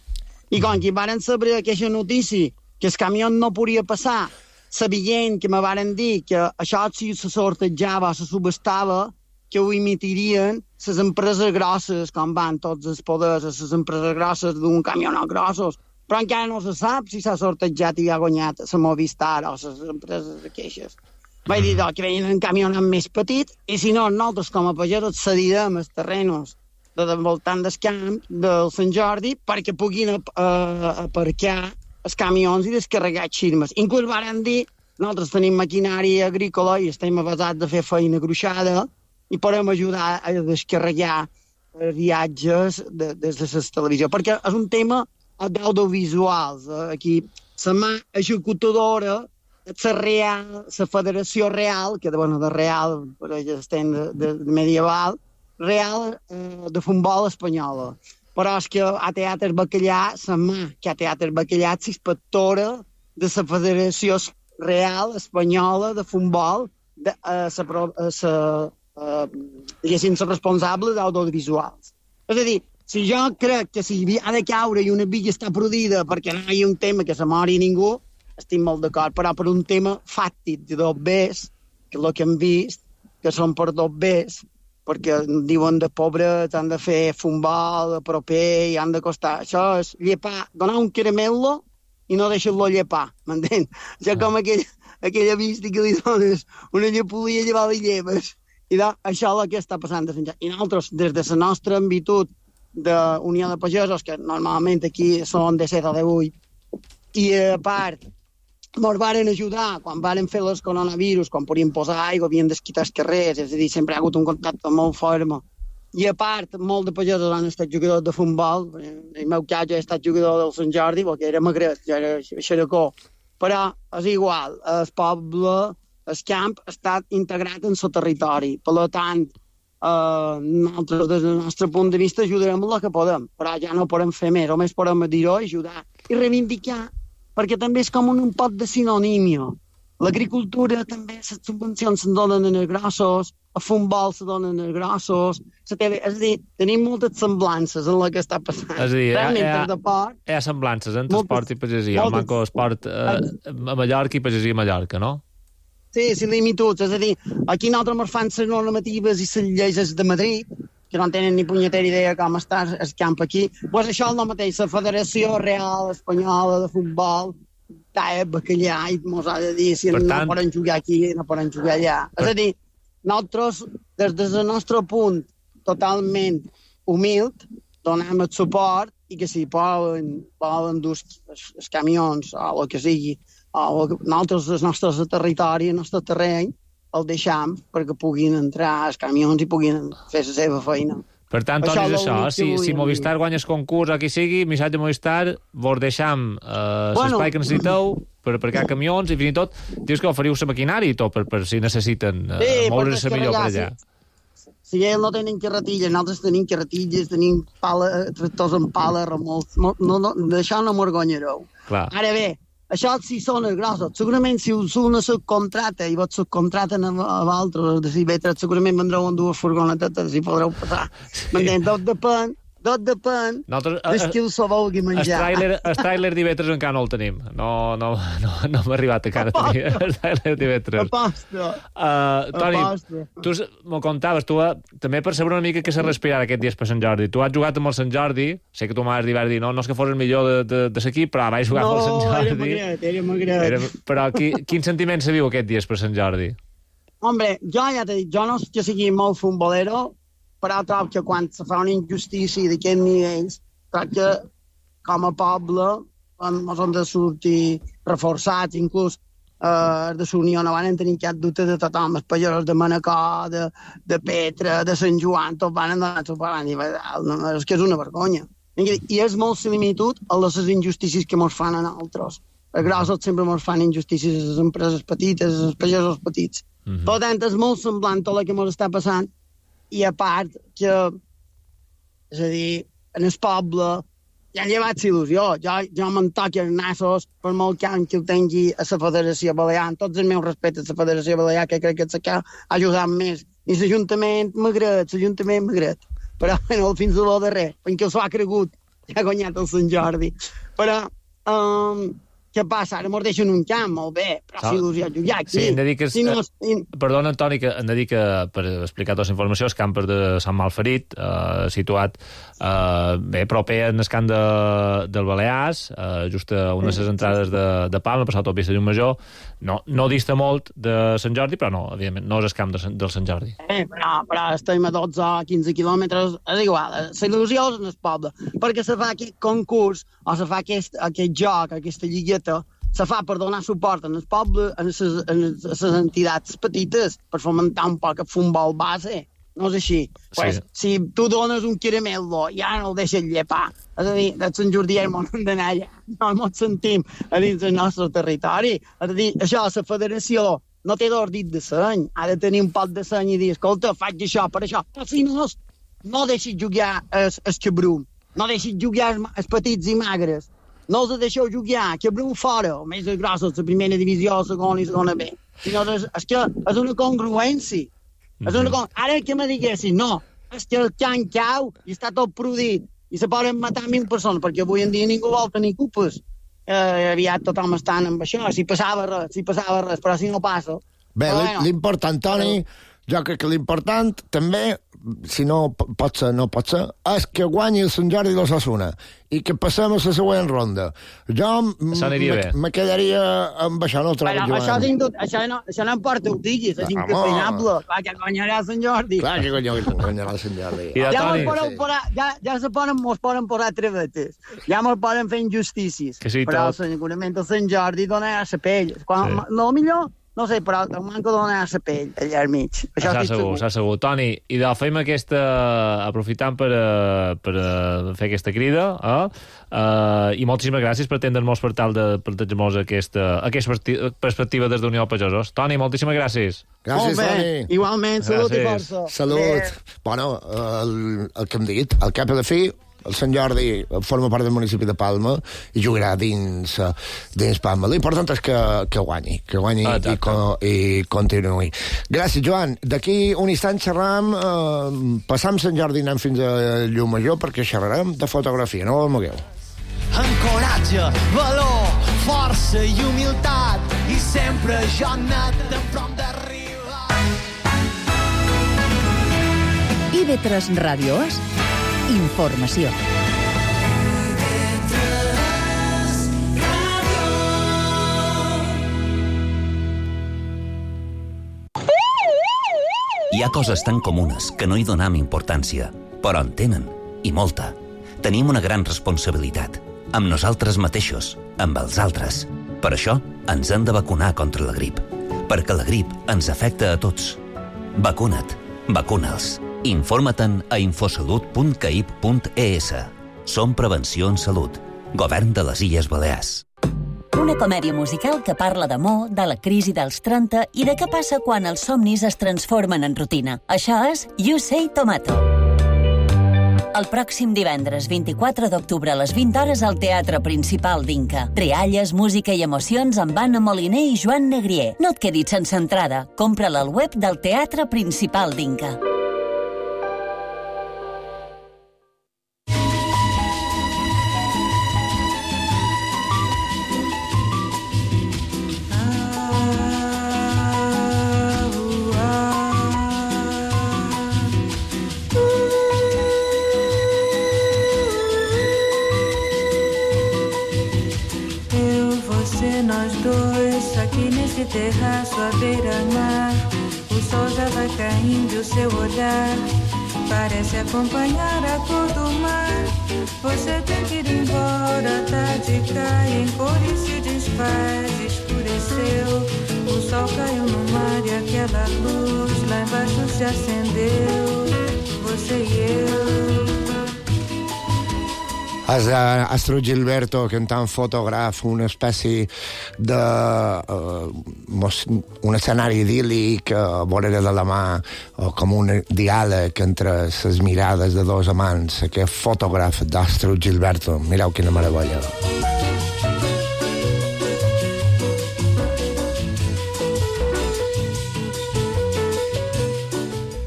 I com que varen saber aquesta notícia, que el camió no podia passar, sabent que me varen dir que això si se sortejava, se subestava, que ho imitarien les empreses grosses, com van tots els poders, les empreses grosses d'un camionat grossos, però encara no se sap si s'ha sortejat i ha guanyat la Movistar o les empreses aquelles. Vaig dir que venien en camionat més petit, i si no, nosaltres com a pagesos cedirem els terrenos de voltant del camp del Sant Jordi perquè puguin aparcar els camions i descarregar xirmes. Inclús varen dir, nosaltres tenim maquinària agrícola i estem avasats de fer feina gruixada i podem ajudar a descarregar viatges des de la televisió, perquè és un tema d'audiovisuals. Aquí la mà executadora, la Federació Real, que de Real, per estem de medieval, Real de futbol espanyola. Però és que a Teatre Bacallà, la mà que a Teatre Bacallà és inspectora de la Federació Real Espanyola de futbol, diguéssim, la responsable d'audiovisuals. És a dir, si jo crec que si ha de caure i una villa està produïda perquè no hi ha un tema que se mori ningú, estic molt d'acord, però per un tema fàctic de dos bes, que és el que hem vist, que són per dos bes, perquè diuen de pobres han de fer futbol proper i han de costar. Això és llepar, donar un caramel·lo i no deixar-lo llepar, m'entens? Ja com aquella vista que li dones una llepolia llevar de lleves. I això és el que està passant a Sant Jordi. I nosaltres, des de la nostra ambitud d'Unió de Pagesos, que normalment aquí són de 7 o de 8, i a part ens varen ajudar quan varen fer els coronavirus, quan podien posar aigua, havien d'esquitar els carrers, és a dir, sempre ha hagut un contacte molt fort. I a part, molts de pagesos han estat jugadors de futbol. En el meu cas, jo he estat jugador del Sant Jordi, perquè era magret, jo era xeracó. Però és igual, el poble, el camp, ha estat integrat en el territori. Per tant, nosaltres, des del nostre punt de vista, ajudarem el que podem, però ja no podem fer més, només podem dir-ho, ajudar i reivindicar, perquè també és com un pot de sinonímia. L'agricultura també, les subvencions se'n donen en els grossos, a futbol se donen en els grossos, és a dir, tenim moltes semblances en el que està passant. És a dir, hi ha semblances entre esport i pagesia, el manco esport a Mallorca i pagesia a Mallorca, no? Sí, similituds, és a dir, aquí nosaltres ens fan les normatives i les lleis de Madrid, que no tenen ni punyetera idea com està el camp aquí. Pues això és el mateix, la Federació Real Espanyola de Futbol talla bacallà i mos ha de dir si no poden jugar aquí, no poden jugar allà. És a dir, nosaltres, des del nostre punt totalment humil, donem el suport i que si volen dur els camions o el que sigui, nosaltres, el nostre territori, el nostre terreny, el deixam perquè puguin entrar els camions i puguin fer la seva feina. Per tant, Toni, és això. Si Movistar guanya el concurs o qui sigui, missatge Movistar, vos deixam l'espai que necessiteu per aparcar camions i fins i tot dius que oferiu la maquinària i tot per si necessiten moure's millor per allà. Si ells no tenen carretilles, nosaltres tenim carretilles, tenim tractors amb pala, remolcs, d'això no m'orgonyareu. Ara bé, això sí són els grossos. Segurament si una subcontrata i vos subcontraten a vosaltres de Cibetres, segurament vendreu amb dues furgonetetes i podreu passar. M'entens? Tot depèn de qui us ho vulgui menjar. El tràiler d'Ivetres encara no el tenim. No m'ha arribat encara a tenir el tràiler d'Ivetres. Toni, tu m'ho contaves, tu també per saber una mica què s'ha respirat aquests dies per Sant Jordi. Tu has jugat amb el Sant Jordi, sé que tu m'has dit, no és que fos el millor de l'equip, però vaig jugar amb el Sant Jordi. Era magret. Però quin sentiment se viu aquests dies per Sant Jordi? Hombre, jo ja t'he dit, jo no és que sigui molt futbolero, però trobo que quan se fa una injustícia d'aquests nivells, trobo que com a poble ens hem de sortir reforçats, inclús de la Unió no van tenir cap dubte de tothom, els pagesos de Manacor, de Petra, de Sant Joan, tots van anar suport, és que és una vergonya. I és molt similitud a les injustícies que ens fan a nosaltres. Els grossos sempre ens fan injustícies a les empreses petites, als pagesos petits. Per tant, és molt semblant tot el que ens està passant. I a part que, és a dir, en el poble ja han llevat il·lusió. Jo me'n toqui els nassos per molt camp que ho tingui a la Federació Balear. Amb tots els meus respectes a la Federació Balear, que crec que ha ajudat més. I l'Ajuntament m'agrat. Però bueno, fins a lo darrer, perquè s'ho ha cregut, ja ha guanyat el Sant Jordi. Però què passa? Ara mos deixen un camp, molt bé, però si il·lusió jugar aquí. Sí, hem de dir que... Perdona, Antoni, que hem de dir que, per explicar tota la informació, el camp de Sant Malferit, situat proper al camp del Balears, just a unes entrades de Palma, passat el Pista Llumajor, no dista molt de Sant Jordi, però no, evidentment, no és el camp del Sant Jordi. Però estem a 12 o 15 quilòmetres, és igual, la il·lusió és en el poble, perquè se fa aquest concurs, o se fa aquest joc, aquesta lligueta, se fa per donar suport en el poble, a les entitats petites, per fomentar un poc el futbol base. No és així. Pues, si tu dones un caramel·lo, ja no el deixes llepar. És a dir, de Sant Jordi ja m'ho hem d'anar allà. No ens sentim a dins del nostre territori. És a dir, això, la federació no té d'ordit de seny. Ha de tenir un pot de seny i dir, escolta, faig això per això. Però si no deixis jugar el xabrum. No deixis jugar els petits i magres. No els deixeu jugar, xabrum fora, o més grossos, la primera divisió, la segona i segona B. És que és una congruència. Ara que me diguessin, no, és que el can cau i està tot produït i se poden matar 1.000 persones, perquè avui en dia ningú vol tenir culpes. Aviat tothom està amb això, si passava res, però si no passa... Bé, l'important, Toni, jo crec que l'important també, si no pot ser, és que guanyi el Sant Jordi de l'Osasuna i que passem a la següent ronda. Jo me quedaria amb això, no el trobo, Joan. Això no importa, ho diguis, és incafinable. Clar, que guanyarà el Sant Jordi. Clar que guanyarà el Sant Jordi. Ja mos poden posar trevetes, ja mos poden fer injustícies, però segurament el Sant Jordi dona a la pell. No millor... No sé, però el manco dona a la pell allà al mig. S'ha segur. Toni, i fem aquesta... aprofitant per fer aquesta crida, i moltíssimes gràcies per atendre'ns per tal de plantejar-nos aquesta perspectiva des d'Unió Pagesos. Toni, moltíssimes gràcies. Gràcies, Toni. Igualment, salut i força. Salut. Bueno, el que hem dit, al cap de fi, el Sant Jordi forma part del municipi de Palma i jugarà dins Palma. L'important és que guanyi i continuï. Gràcies, Joan. D'aquí un instant xerram, passam Sant Jordi, anem fins a Llumajor, perquè xerrarem de fotografia, no ho mogueu. Amb coratge, valor, força i humilitat, i sempre jo he anat en prop d'arribar. IB3 Ràdio És informació. Hi ha coses tan comunes que no hi donem importància, però en tenen, i molta. Tenim una gran responsabilitat, amb nosaltres mateixos, amb els altres. Per això ens hem de vacunar contra la grip, perquè la grip ens afecta a tots. Vacuna't, vacuna'ls. Informa-te'n a infosalut.caip.es. Som Prevenció en Salut. Govern de les Illes Balears. Una comèdia musical que parla d'amor, de la crisi dels 30 i de què passa quan els somnis es transformen en rutina. Això és You Say Tomato. El pròxim divendres 24 d'octubre a les 20 hores al Teatre Principal d'Inca. Rialles, música i emocions amb Anna Moliner i Joan Negrier. No et quedis sense entrada. Compra-la al web del Teatre Principal d'Inca. Terraço à beira-mar, o sol já vai caindo e o seu olhar parece acompanhar a cor do mar. Você tem que ir embora, a tarde cai em cor e se desfaz, escureceu. O sol caiu no mar e aquela luz lá embaixo se acendeu. Você e eu. És Astrid Gilberto cantant Fotògraf, una espècie de un escenari idíl·lic a vorera de la mà, o com un diàleg entre les mirades de dos amants. Aquest Fotògraf d'Astrid Gilberto, mireu quina meravella.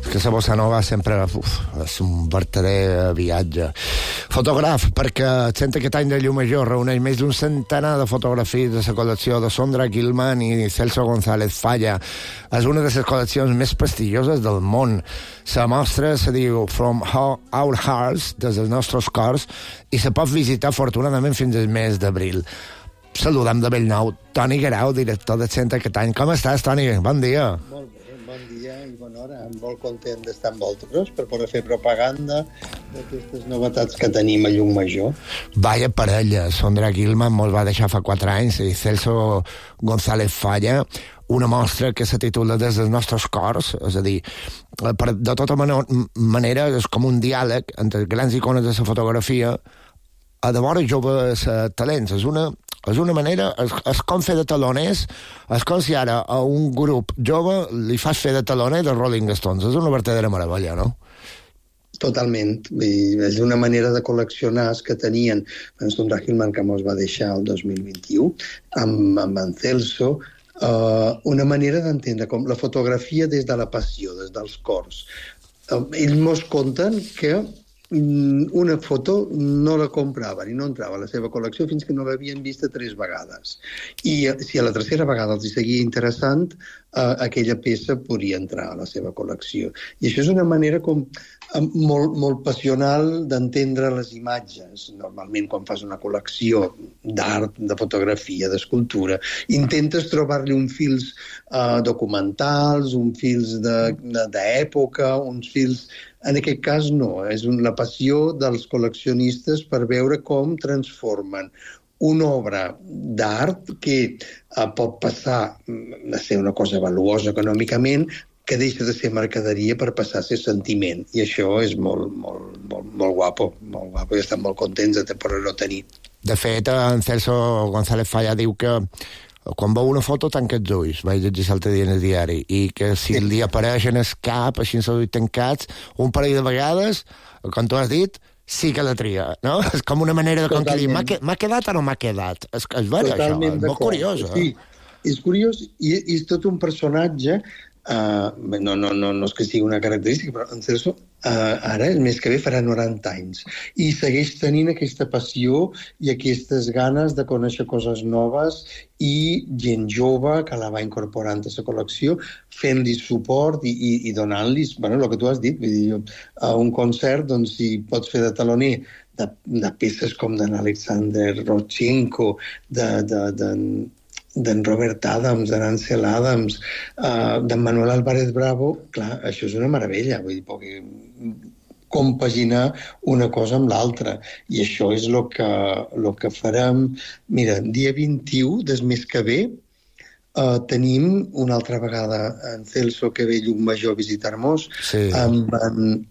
Que la bossa nova sempre és un verdader viatge. Fotògraf, perquè el centre aquest any de Llumajor reuneix més d'un centenar de fotografies de la col·lecció de Sondra Gilman i Celso González Falla. És una de les col·leccions més prestigioses del món. La mostra se diu From Our Hearts, des dels nostres cors, i se pot visitar afortunadament fins al mes d'abril. Saludem de Bellnou Toni Guerau, director del centre aquest any. Com estàs, Toni? Bon dia. Molt bé, bon dia i bona hora. Molt content d'estar amb vosaltres per poder fer propaganda d'aquestes novetats que tenim a Llumajor. Vaya parella, Sondra Gilman mos va deixar fa 4 anys i Celso González Falla, una mostra que se titula Des dels nostres cors, és a dir, de tota manera és com un diàleg entre grans icones de la fotografia a de vora joves talents. És una manera, és com fer de taloners, és com si ara a un grup jove li fas fer de taloner de Rolling Stones. És una verdadera meravella, no? Totalment. És una manera de col·leccionar que tenien en Sondra Gilman, que mos va deixar el 2021, amb en Celso, una manera d'entendre com la fotografia des de la passió, des dels cors. Ells mos conten que una foto no la compraven i no entrava a la seva col·lecció fins que no l'havien vista 3 vegades. I si a la tercera vegada els seguia interessant, aquella peça podria entrar a la seva col·lecció. I això és una manera com molt passional d'entendre les imatges. Normalment, quan fas una col·lecció d'art, de fotografia, d'escultura, intentes trobar-li uns fils documentals, uns fils d'època, uns fils... En aquest cas no, és la passió dels col·leccionistes per veure com transformen una obra d'art que pot passar a ser una cosa valuosa econòmicament, que deixa de ser mercaderia per passar a ser sentiment. I això és molt guapo, i estem molt contents de poder-ho tenir. De fet, en Celso González Falla diu que quan veu una foto tanca els ulls, vaig llegir l'altre dia en el diari, i que si li apareix en el cap, així en els ulls tancats, un parell de vegades, com tu has dit, sí que la tria, no? És com una manera de conquerir. M'ha quedat o no m'ha quedat? És vera, això. És molt curiós, sí. És curiós i és tot un personatge. No és que sigui una característica, però en Celso ara, el mes que ve, farà 90 anys i segueix tenint aquesta passió i aquestes ganes de conèixer coses noves i gent jove que la va incorporant a la col·lecció, fent-li suport i donant-li, bueno, el que tu has dit, vull dir, a un concert, doncs, si pots fer de taloner de peces com d'en Alexander Rodchenko, d'en Robert Adams, d'en Ansel Adams, d'en Manuel Álvarez Bravo, clar, això és una meravella, vull dir, perquè compaginar una cosa amb l'altra. I això és el que farem. Mira, dia 21 del mes que ve tenim una altra vegada en Celso que ve Llucmajor a visitar-nos, amb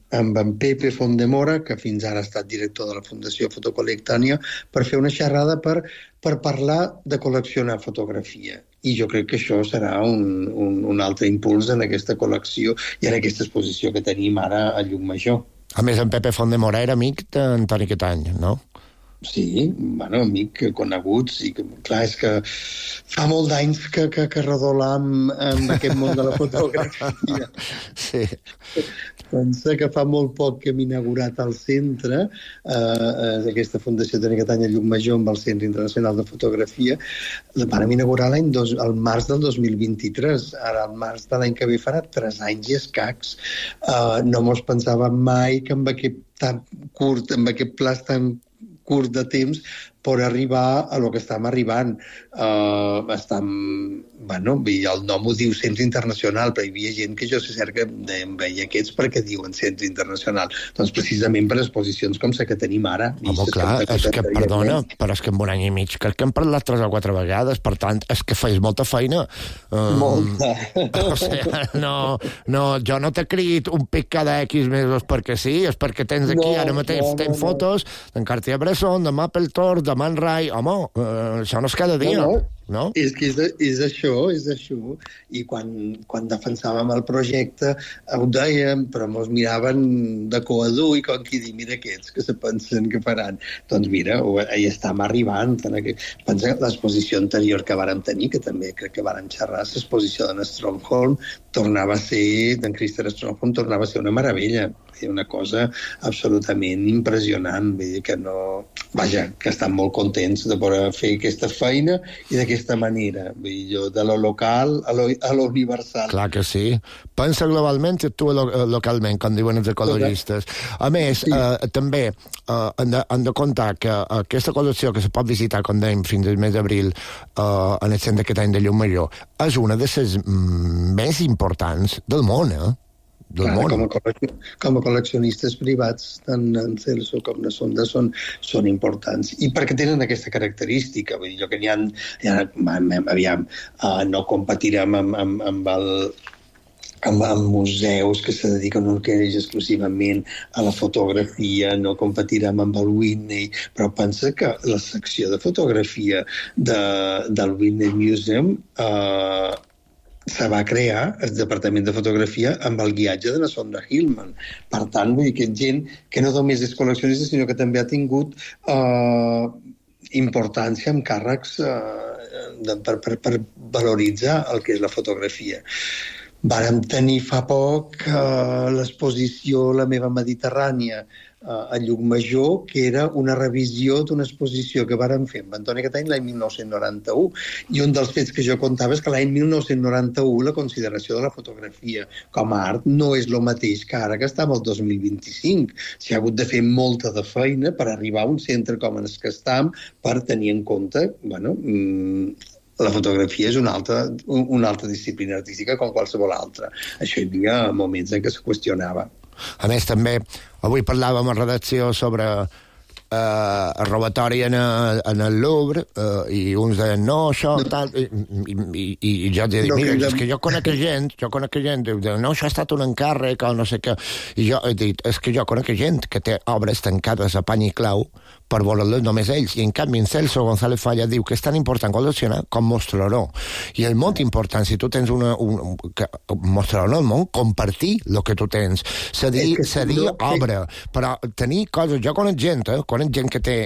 en Pepe Fondemora, que fins ara ha estat director de la Fundació Fotocolectània, per fer una xerrada per parlar de col·leccionar fotografia. I jo crec que això serà un altre impuls en aquesta col·lecció i en aquesta exposició que tenim ara a Llucmajor. A més, en Pepe Fondemora era amic d'Antoni Catany, no? Sí, bueno, amic, coneguts, i clar, és que fa molt d'anys que redolam amb aquest món de la fotografia. Sí. Pensa que fa molt poc que hem inaugurat al centre, aquesta Fundació Antoni Catany a Llucmajor amb el Centre Internacional de Fotografia, la vam inaugurar al març del 2023. Ara, al març de l'any que ve farà 3 anys i escacs. No mos pensàvem mai que amb aquest pla tan curt de temps per arribar a lo que estem arribant. El nom ho diu Centre Internacional, però hi havia gent que jo sé cert que em veia aquests perquè diuen Centre Internacional. Doncs precisament per exposicions com la que tenim ara. Home, clar, és que, perdona, però és que en un any i mig crec que hem parlat 3 o 4 vegades, per tant, és que feis molta feina. Molta. O sigui, no, jo no t'he crit un pic cada X mesos perquè sí, és perquè tens aquí ara mateix tens fotos d'en Cartier-Bresson, de Mapplethorpe, de Man Ray, home, això no és cada dia, no? És que és això. I quan defensàvem el projecte ho dèiem, però ens miraven de coadú i com qui diu, mira aquests que se pensen que faran. Doncs mira, hi estem arribant. Pensa que l'exposició anterior que vàrem tenir, que també crec que vàrem xerrar, l'exposició d'en Strongholm, d'en Christer Strongholm, tornava a ser una meravella. Una cosa absolutament impressionant. Vull dir que que estan molt contents de poder fer aquesta feina i d'aquesta manera. Vull dir, jo de lo local a lo universal. Clar que sí. Pensa globalment i actua localment, com diuen els ecologistes. A més, també hem de comptar que aquesta col·lecció que se pot visitar, com dèiem, fins al mes d'abril en el Centre Catany de Llumajor, és una de les més importants del món, Clar, com a col·leccionistes privats, tant en Celso com na Sonda són importants. I perquè tenen aquesta característica. Vull dir, jo que n'hi ha... no competirem amb museus que se dediquen exclusivament a la fotografia, no competirem amb el Whitney, però pensa que la secció de fotografia del Whitney Museum se va crear el departament de fotografia amb el guiatge de la Sonda Hillman. Per tant, vull dir que gent que no només és col·leccionista, sinó que també ha tingut importància amb càrrecs per valoritzar el que és la fotografia. Vàrem tenir fa poc l'exposició La meva Mediterrània a Llucmajor, que era una revisió d'una exposició que vàrem fer amb Antoni Catany l'any 1991. I un dels fets que jo contava és que l'any 1991 la consideració de la fotografia com a art no és el mateix que ara que estem al 2025. S'hi ha hagut de fer molta de feina per arribar a un centre com el que estem per tenir en compte, la fotografia és una altra disciplina artística com qualsevol altra. Això hi havia moments en què se qüestionava. A més, també, avui parlàvem a redacció sobre robatori en el Louvre, i uns deien, no, això, tal, i jo dic, mira, és que jo conec gent, diu, no, això ha estat un encàrrec, o no sé què, i jo he dit, és que jo conec gent que té obres tancades a pany i clau per veure-les només ells, i en canvi en Celso González Falla diu que és tan important col·leccionar com mostrar-ho, i és molt important, si tu tens mostrar-ho al món, compartir el que tu tens, cedir obra, però tenir coses, jo conec gent que té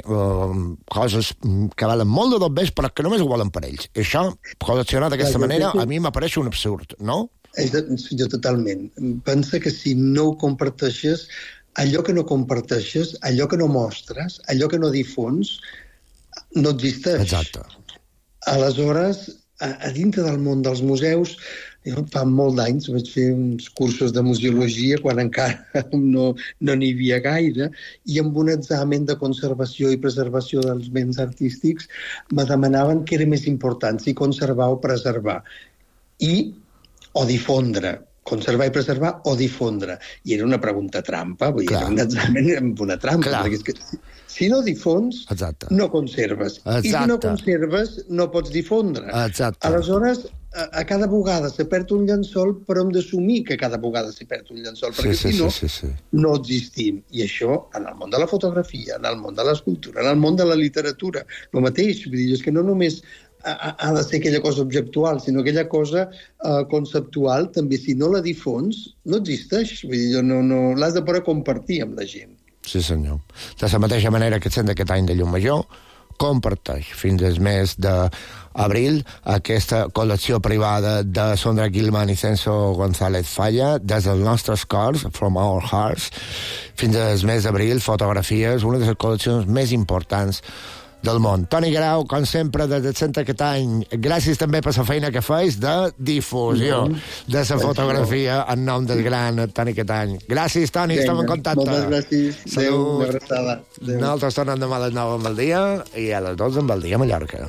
coses que valen molt de dos bes, però que només ho volen per ells, i això, col·leccionar d'aquesta manera, a mi m'apareix un absurd, no? Jo totalment. Pensa que si no ho comparteixes, allò que no comparteixes, allò que no mostres, allò que no difons, no existeix. Exacte. Aleshores, a dintre del món dels museus, jo fa molt d'anys vaig fer uns cursos de museologia quan encara no n'hi havia gaire, i amb un examen de conservació i preservació dels béns artístics me demanaven què era més important, si conservar o preservar, o difondre. Conservar i preservar o difondre. I era una pregunta trampa, vull dir, era un examen amb una trampa. Perquè és que si no difons, no conserves. I si no conserves, no pots difondre. Aleshores, a cada vegada se perd un llençol, però hem d'assumir que cada vegada se perd un llençol, perquè si no, no existim. I això, en el món de la fotografia, en el món de l'escultura, en el món de la literatura, el mateix. Vull dir, és que no només ha de ser aquella cosa objectual, sinó aquella cosa conceptual, també si no la difons, no existeix. Vull dir, no l'has de poder compartir amb la gent. Sí, senyor. De la mateixa manera que sent aquest any de Llum Major, comparteix fins al mes d'abril aquesta col·lecció privada de Sondra Gilman i Celso González Falla, des dels nostres cors, From Our Hearts, fins al mes d'abril, fotografies, una de les col·leccions més importants del món. Toni Guerau, com sempre, des de cent aquest any, gràcies també per la feina que feis de difusió de la fotografia en nom del gran Toni Catany. Gràcies, Toni, estem en contacte. Moltes gràcies. Adéu, una abraçada. Nosaltres tornem demà a les 9 amb el dia i a les 12 amb el dia a Mallorca.